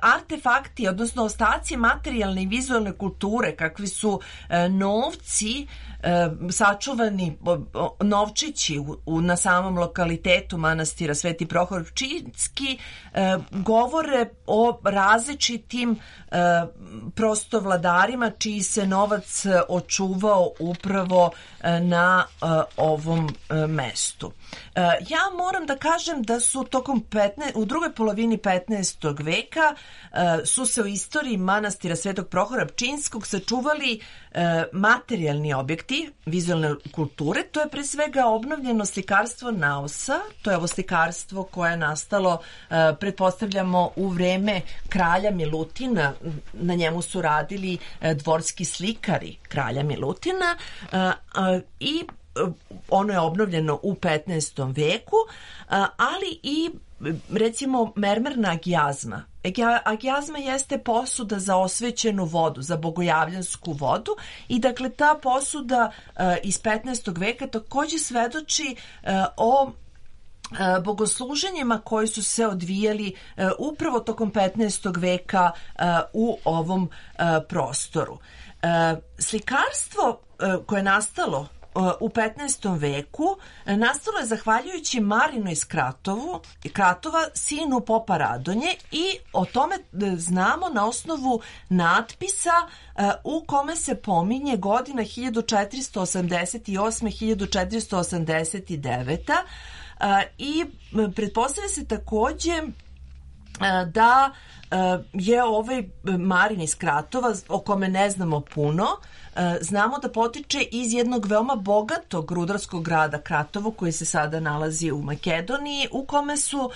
Speaker 4: artefakti, odnosno ostaci materijalne i vizualne kulture, kakvi su e, novci, e, sačuvani o, o, novčići u, u, na samom lokalitetu manastira Sveti Prohor Pčinjski, e, govore o različitim e, prosto vladarima čiji se novac očuvao upravo e, na e, ovom e, mestu. E, ja moram da kažem da su tokom petnaestog u drugoj polovini petnaestog veka e, su se u istoriji manastira Svetog Prohora Pčinjskog sačuvali e, materijalni objekti vizualne kulture. To je pre svega obnovljeno slikarstvo naosa, to je ovo slikarstvo koje je nastalo, e, pretpostavljamo, u vreme kralja Milutina. Na njemu su radili e, dvorski slikari kralja Milutina e, e, i ono je obnovljeno u petnaestom veku, ali i recimo mermerna agijazma. Agijazma jeste posuda za osvećenu vodu, za bogojavljansku vodu, i dakle ta posuda iz petnaestog veka takođe svedoči o bogosluženjima koji su se odvijali upravo tokom petnaestog veka u ovom prostoru. Slikarstvo koje je nastalo u petnaestom veku nastalo je zahvaljujući Marinu iz Kratovu, Kratova, sinu popa Radonje, i o tome znamo na osnovu natpisa u kome se pominje godina hiljadu četiristo osamdeset osam do hiljadu četiristo osamdeset devet. I pretpostavlja se takođe da je ovaj Marin iz Kratova, o kome ne znamo puno, znamo da potiče iz jednog veoma bogatog rudarskog grada Kratovo, koji se sada nalazi u Makedoniji, u kome su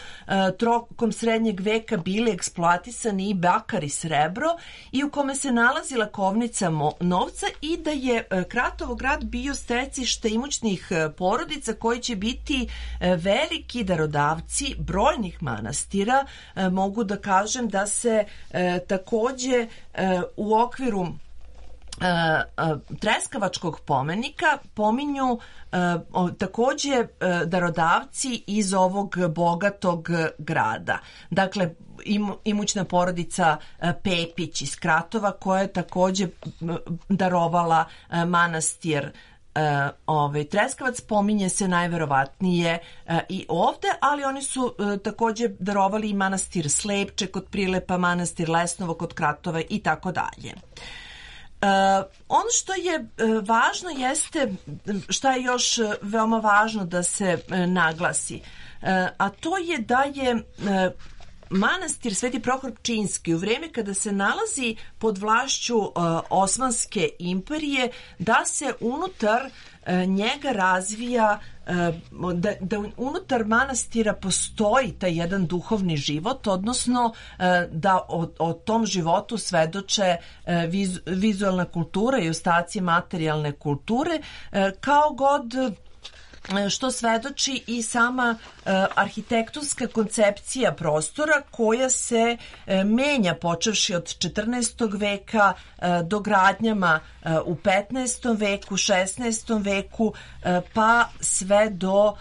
Speaker 4: tokom srednjeg veka bili eksploatisani i bakar i srebro, i u kome se nalazila kovnica novca, i da je Kratovo grad bio stecište imućnih porodica koji će biti veliki darodavci brojnih manastira. Mogu da kažem da se takođe u okviru Treskavačkog pomenika pominju takođe darodavci iz ovog bogatog grada. Dakle, imućna porodica Pepić iz Kratova, koja je takođe darovala manastir Ovaj, Treskavac. Pominje se najverovatnije i ovde, ali oni su takođe darovali i manastir Slepče kod Prilepa, manastir Lesnovo kod Kratova i tako dalje. Uh, ono što je uh, važno jeste, šta je još uh, veoma važno da se uh, naglasi, uh, a to je da je uh, manastir Sveti Prohor Pčinjski u vreme kada se nalazi pod vlašću uh, Osmanske imperije, da se unutar uh, njega razvija, uh, da, da unutar manastira postoji taj jedan duhovni život, odnosno uh, da o, o tom životu svedoče uh, viz, vizualna kultura i ostaci materijalne kulture, uh, kao god što svedoči i sama uh, arhitektonska koncepcija prostora koja se uh, menja počevši od četrnaestog veka uh, do gradnjama uh, u petnaestom veku, šesnaestom veku, uh, pa sve do uh,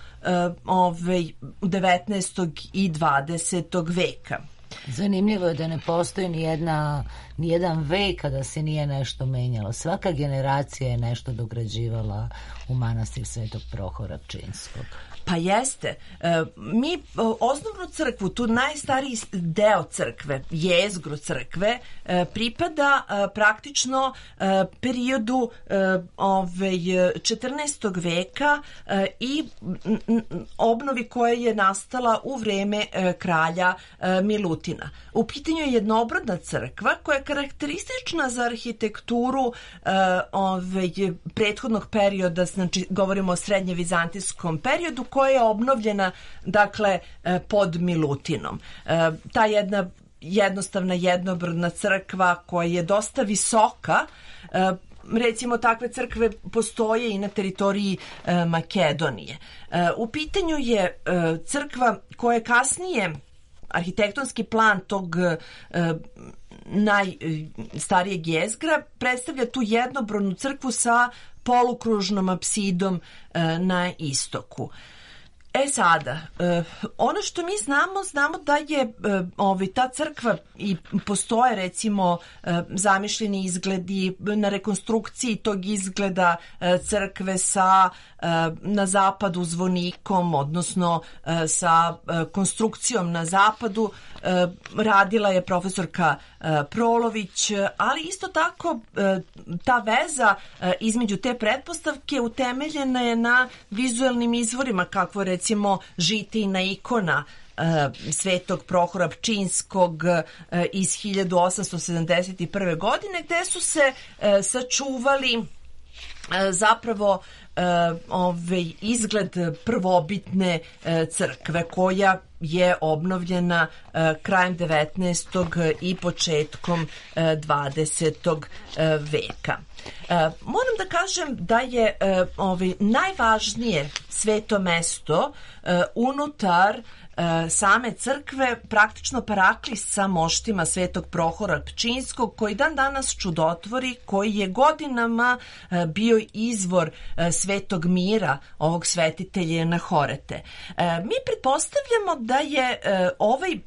Speaker 4: ovaj, devetnaestog i dvadesetog veka.
Speaker 1: Zanimljivo je da ne postoji ni jedna, ni jedan vek kada se nije nešto menjalo. Svaka generacija je nešto dograđivala u manastir Svetog Prohora Pčinjskog.
Speaker 4: Pa jeste. E, mi osnovnu crkvu, tu najstariji deo crkve, jezgru crkve, e, pripada e, praktično e, periodu e, ovaj, četrnaestog veka e, i m, obnovi koja je nastala u vreme e, kralja e, Milutina. U pitanju je jednobrodna crkva koja je karakteristična za arhitekturu e, ovaj, prethodnog perioda, znači govorimo o srednje vizantijskom periodu, koja je obnovljena, dakle, pod Milutinom. Ta jedna jednostavna jednobrodna crkva koja je dosta visoka, recimo takve crkve postoje i na teritoriji Makedonije. U pitanju je crkva koja je kasnije arhitektonski plan tog najstarijeg jezgra predstavlja tu jednobrodnu crkvu sa polukružnom apsidom na istoku. E sada, ono što mi znamo, znamo da je ovaj, ta crkva i postoje recimo zamišljeni izgledi na rekonstrukciji tog izgleda crkve sa na zapadu zvonikom, odnosno sa konstrukcijom na zapadu. Radila je profesorka Prolović, ali isto tako ta veza između te pretpostavke utemeljena je na vizualnim izvorima, kakvo recimo recimo žitijna ikona uh, Svetog Prohora Pčinjskog uh, iz hiljadu osamsto sedamdeset prve. godine, gde su se uh, sačuvali uh, zapravo uh, ovaj izgled prvobitne uh, crkve koja je obnovljena uh, krajem devetnaestog i početkom uh, dvadesetog uh, veka. Uh, moram da kažem da je uh, ovaj, najvažnije sveto mesto uh, unutar uh, same crkve praktično paraklis sa moštima Svetog Prohora Pčinjskog, koji dan danas čudotvori, koji je godinama uh, bio izvor uh, svetog mira ovog svetitelja Nahorete. Uh, mi pretpostavljamo da je uh, ovaj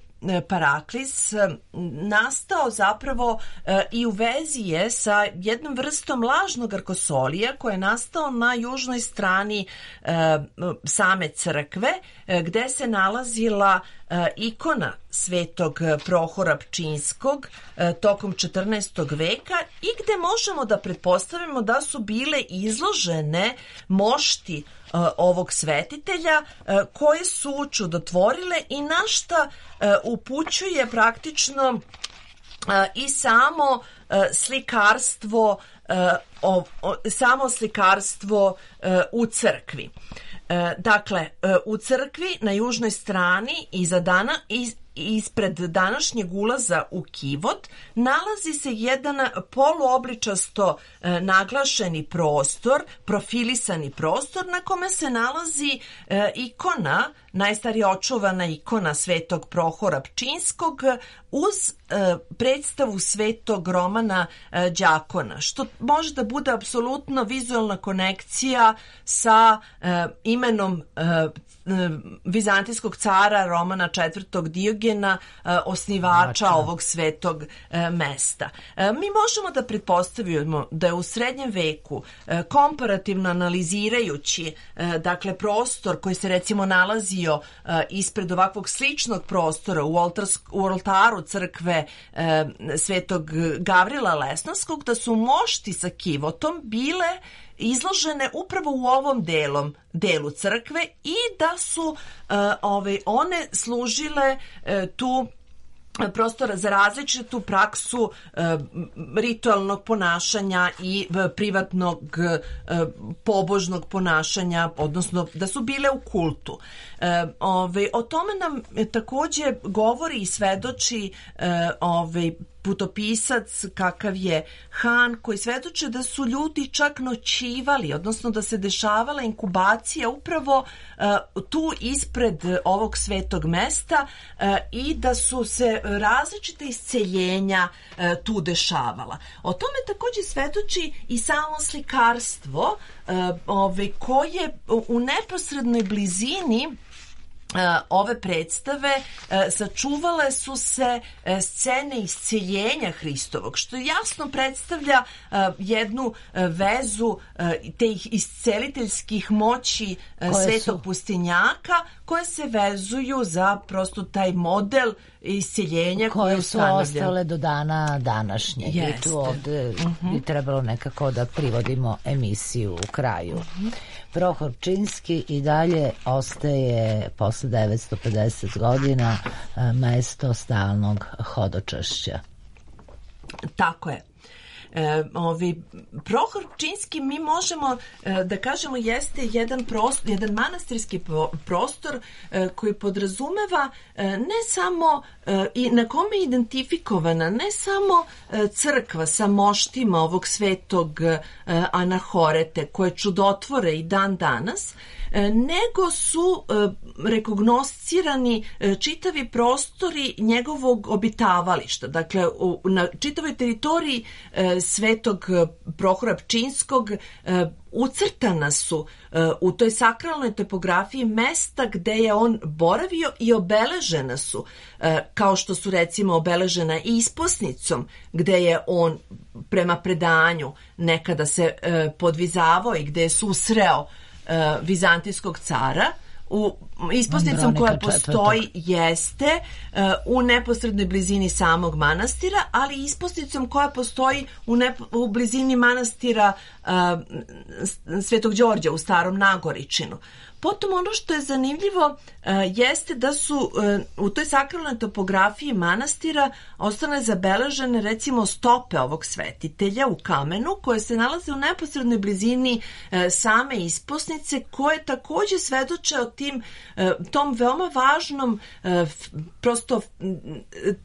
Speaker 4: paraklis nastao zapravo e, i u vezi je sa jednom vrstom lažnog arkosolija koji je nastao na južnoj strani e, same crkve, e, gde se nalazila e, ikona Svetog Prohora Pčinjskog e, tokom četrnaestog veka i gde možemo da pretpostavimo da su bile izložene mošti ovog svetitelja koje su čudotvorile i na šta upućuje praktično i samo slikarstvo samo slikarstvo u crkvi. Dakle, u crkvi na južnoj strani iza dana iz ispred današnjeg ulaza u kivot nalazi se jedan poluobličasto e, naglašeni prostor, profilisani prostor na kome se nalazi e, ikona, najstarija očuvana ikona Svetog Prohora Pčinjskog uz e, predstavu Svetog Romana e, Đakona, što može da bude apsolutno vizualna konekcija sa e, imenom e, vizantijskog cara Romana četvrtog Diogena, osnivača Mača. ovog svetog mesta. Mi možemo da pretpostavimo da je u srednjem veku, komparativno analizirajući dakle prostor koji se recimo nalazio ispred ovakvog sličnog prostora u, oltarsk, u oltaru crkve Svetog Gavrila Lesnovskog, da su mošti sa kivotom bile izložene upravo u ovom delom, delu crkve i da su uh, ove, one služile uh, tu prostora za različitu praksu e, ritualnog ponašanja i e, privatnog e, pobožnog ponašanja, odnosno da su bile u kultu. E, ove, o tome nam takođe govori i svedoči e, ove, putopisac kakav je Han, koji svedoče da su ljudi čak noćivali, odnosno da se dešavala inkubacija upravo uh, tu ispred ovog svetog mesta uh, i da su se različite isceljenja uh, tu dešavala. O tome takođe svedoči i samo slikarstvo uh, ove, koje u neposrednoj blizini ove predstave sačuvale su se scene isceljenja Hristovog, što jasno predstavlja jednu vezu tih isceliteljskih moći koje svetog su pustinjaka, koje se vezuju za prosto taj model isceljenja
Speaker 1: koje su ostale do dana današnjeg. I tu ovde uh-huh. bi trebalo nekako da privodimo emisiju u kraju. Uh-huh. Prohor Pčinjski i dalje ostaje posle devetsto pedeset godina mesto stalnog hodočašća.
Speaker 4: Tako je. E, ovi, Prohor Pčinjski mi možemo e, da kažemo jeste jedan, prostor, jedan manastirski prostor e, koji podrazumeva e, ne samo e, i na kome je identifikovana ne samo e, crkva sa moštima ovog svetog e, Anahorete koje čudotvore i dan danas, e, nego su e, rekognoscirani e, čitavi prostori njegovog obitavališta. Dakle, u, na čitavoj teritoriji e, svetog Prohora Pčinjskog ucrtana su u toj sakralnoj topografiji mesta gde je on boravio i obeležena su, kao što su recimo obeležena isposnicom gde je on prema predanju nekada se podvizavao i gde je susreo vizantijskog cara. U isposnicom koja postoji jeste uh, u neposrednoj blizini samog manastira, ali isposnicom koja postoji u, nepo, u blizini manastira uh, Svetog Đorđa u Starom Nagoričinu. Potom ono što je zanimljivo uh, jeste da su uh, u toj sakralnoj topografiji manastira ostale zabeležene recimo stope ovog svetitelja u kamenu koje se nalaze u neposrednoj blizini uh, same isposnice, koje takođe svedoče o tim, uh, tom veoma važnom uh, prosto uh,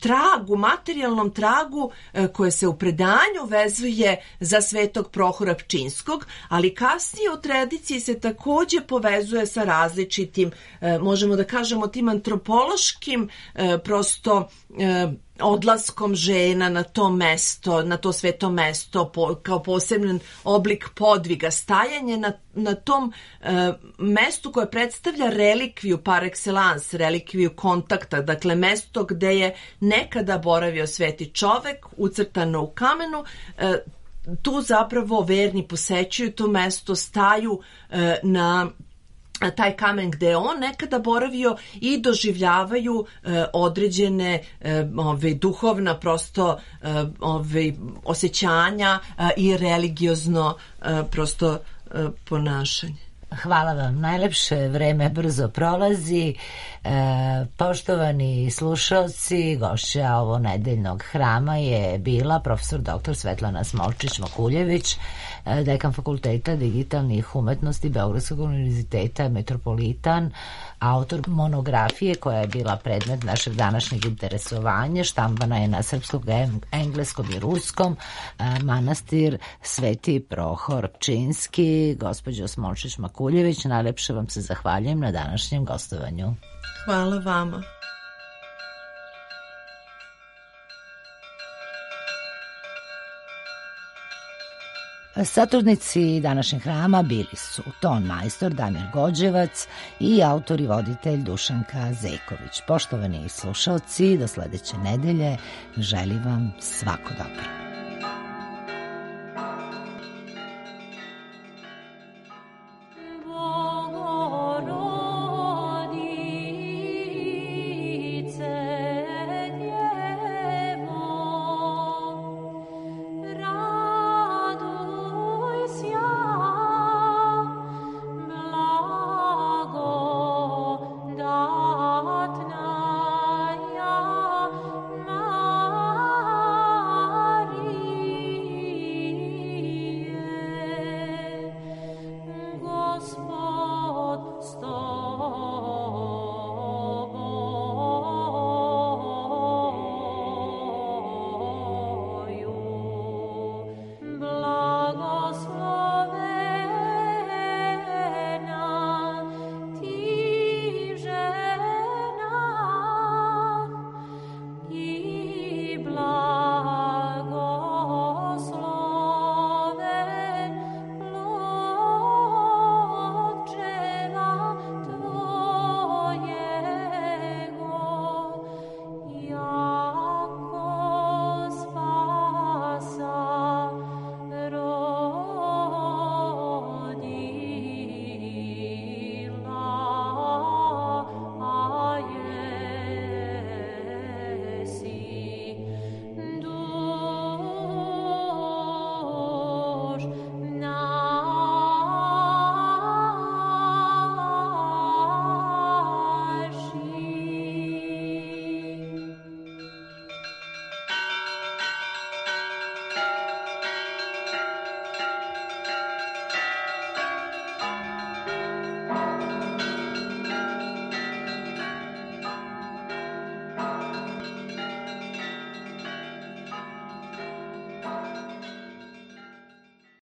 Speaker 4: tragu, materijalnom tragu uh, koje se u predanju vezuje za svetog Prohora Pčinjskog, ali kasnije u tradiciji se takođe povezuje sa različitim, možemo da kažemo, tim antropološkim prosto odlaskom žena na to mesto, na to sveto mesto po, kao poseban oblik podviga, stajanje na, na tom e, mestu koje predstavlja relikviju par excellence, relikviju kontakta, dakle mesto gde je nekada boravio sveti čovek, ucrtano u kamenu. E, tu zapravo verni posećuju to mesto, staju e, na taj kamen gde je on nekada boravio i doživljavaju e, određene e, ove, duhovna prosto e, ove, osjećanja e, i religiozno e, prosto e, ponašanje.
Speaker 1: Hvala vam, najlepše, vreme brzo prolazi. E, poštovani slušalci, gošća ovo nedeljnog hrama je bila profesor doktor Svetlana Smolčić-Makuljević, dekan Fakulteta digitalnih umetnosti Beogradskog univerziteta Metropolitan, autor monografije koja je bila predmet našeg današnjeg interesovanja, štampana je na srpskom, engleskom i ruskom, manastir Sveti Prohor Pčinjski. Gospođo Smolčić-Makuljević, najlepše vam se zahvaljujem na današnjem gostovanju.
Speaker 4: Hvala vama.
Speaker 1: Saturnici današnjeg hrama bili su ton majstor Damir Gođevac i autor i voditelj Dušanka Zejković. Poštovani slušalci, do sledeće nedelje želim vam svako dobro.